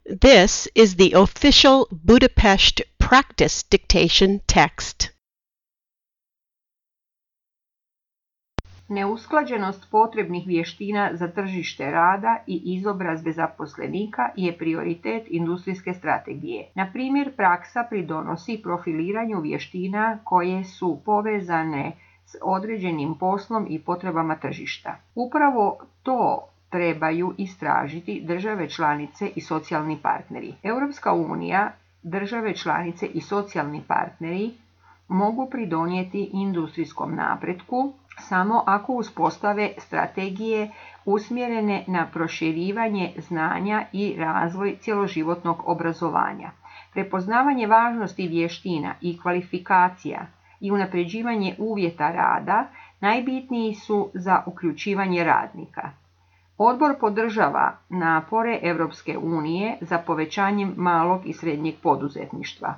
This is the official Budapest practice dictation text. Neusklađenost potrebnih vještina za tržište rada i izobrazbe zaposlenika je prioritet industrijske strategije. Na primjer, praksa pridonosi profiliranju vještina koje su povezane s određenim poslom i potrebama tržišta. Upravo to trebaju istražiti države članice i socijalni partneri. Europska unija, države članice i socijalni partneri mogu pridonijeti industrijskom napretku samo ako uspostave strategije usmjerene na proširivanje znanja i razvoj cjeloživotnog obrazovanja. Prepoznavanje važnosti vještina i kvalifikacija i unapređivanje uvjeta rada najbitniji su za uključivanje radnika. Odbor podržava napore Europske unije za povećanjem malog i srednjeg poduzetništva.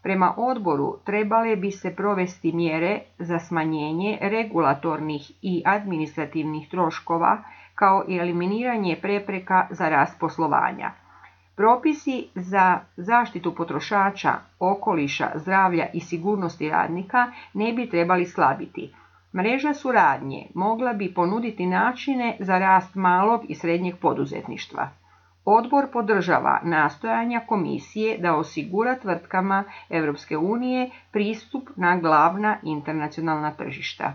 Prema odboru trebale bi se provesti mjere za smanjenje regulatornih i administrativnih troškova kao i eliminiranje prepreka za rast poslovanja. Propisi za zaštitu potrošača, okoliša, zdravlja i sigurnosti radnika ne bi trebali slabiti. Mreža suradnje mogla bi ponuditi načine za rast malog i srednjeg poduzetništva. Odbor podržava nastojanja komisije da osigura tvrtkama Europske unije pristup na glavna internacionalna tržišta.